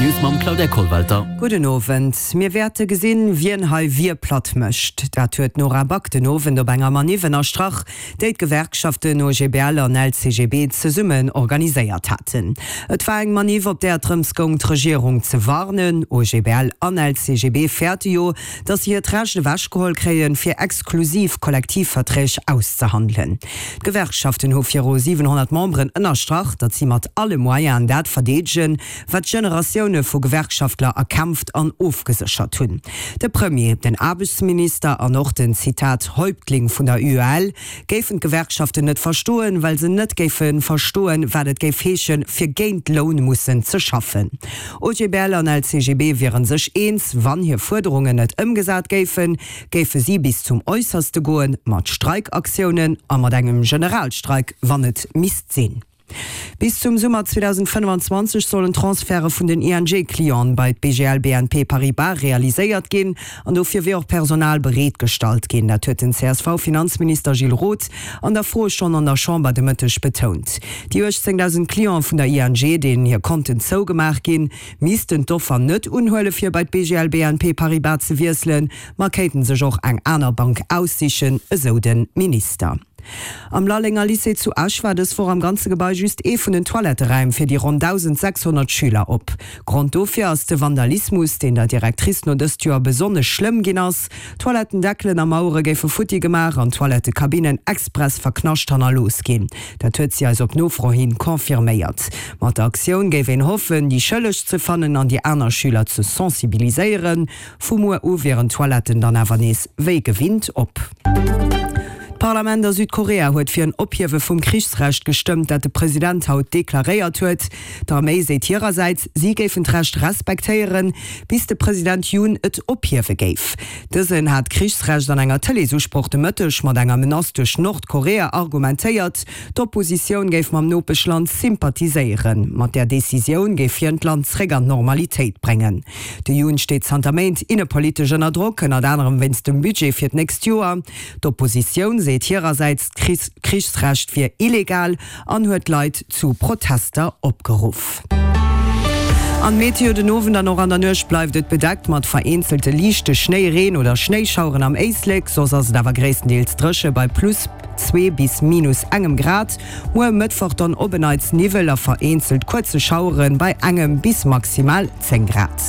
D'News mam Claudia Kollwelter. Gudden Owend. Mir wäerte gesinn, wien hei wie platt mécht. Dat huet d'Nora Back den Owend op enger Maniff ënnerstrach, déi d'Gewerkschaften OGBL an LCGB zesummen organiséiert haten. Et war eng Maniff, op där et drëms goung, d'Regierung ze warnen. OGBL an LCGB fäerte jo, datt se hiert Recht ewechgeholl kréien, fir exklusiv Kollektivverträg auszehandelen. D'Gewerkschaften hu viru 700 Memberen ënnerstrach, datt si mat alle Moyenen dat verdeedegen, wat Generatioune vu Gewerkschaftler erkämpft an ofgeséchert hunn. De Premier, den Aarbechtsminister an och den, Zitat, Häuptling vun der UEL géifen d'Gewerkschaften net verstoen, well se net géife verstoen, wat et géif heeschen, fir géint Loun mussen ze schaffen. OGBL an LCGB wiere sech eens, wann hir Fuerderungen net ëmgesat géifen, géife si bis zum Äusserste goen, mat Streikaktiounen a mat engem Generalstreik, wann et misst sinn. Bis zum Summer 2025 sollen d'Transferte vun den ING-Clienten bei d'BGL BNP Paribas realiséiert ginn an dofir wier och Personal bereet gestallt ginn. Dat huet den CSV-Finanzminister Gilles Roth an der Froestonn an der Chamber de Mëtteg betount. Déi 18.000 Clienten vun der ING, deenen hir Konten zougemaach ginn, missten d'Offer net unhuele fir bei d'BGL BNP Paribas ze wiesselen, ma kéinten sech och eng aner Bank aussichen, esou de Minister. Am Lallenger Lycée zu Esch war dës Woch am ganze Gebai just ee vun den Toiletteräim fir déi ronn 1.600 Schüler op. Grond dofir ass de Vandalismus, deen der Directrice no dëst Joer besonnesch schlëmm ginn ass. Toilettendeckelen a Mauere géife futti gemaach an d'Toilettekabinnen express verknascht hannerlooss ginn. Dat huet si eis op Nofro hin confirméiert. Mat der Aktioun géif een hoffen, déi Schëlleg ze fannen an déi aner Schüler ze sensibiliséieren. Vu muer u wieren d'Toiletten dann awer nees wéi gewinnt op. D'Parlament a Südkorea huet fir en Ophiewe vum Krichsrecht gestëmmt, dat de President haut deklaréiert huet. D'Arméi seet hirersäits, si géifen d'Recht respektéieren, bis de President Yoon et ophiewe géif. Dësen hat d'Krichsrecht an enger Tëleesusproch de Mëtteg mat enger Menace duerch Nordkorea argumentéiert. D'Oppositioun géif mam Nopeschland sympathiséieren. Mat där Decisioun géif hien d'Land zréck an d'Normalitéit bréngen. De Yoon steet zanter Méint innepolitesch ënner Drock, ënnert anerem wéinst dem Budget fir d'nächst Joer. D'Oppositioun seet hirersäits, d'Krichsrecht wier illegal an huet d'Leit zu Protester opgeruff. An d'Meteo, Den Owend an och an der Nuecht bleift et bedeckt mat vereenzelte liichte Schnéi-, Reen oder Schnéischaueren am Éislek, soss ass et awer gréisstendeels dréche bei plus 2 bis minus engem Grad. Muer Mëttwoch dann op en Neits Niwwel a vereenzelt kuerze Schauere bei engem bis maximal 10 Grad.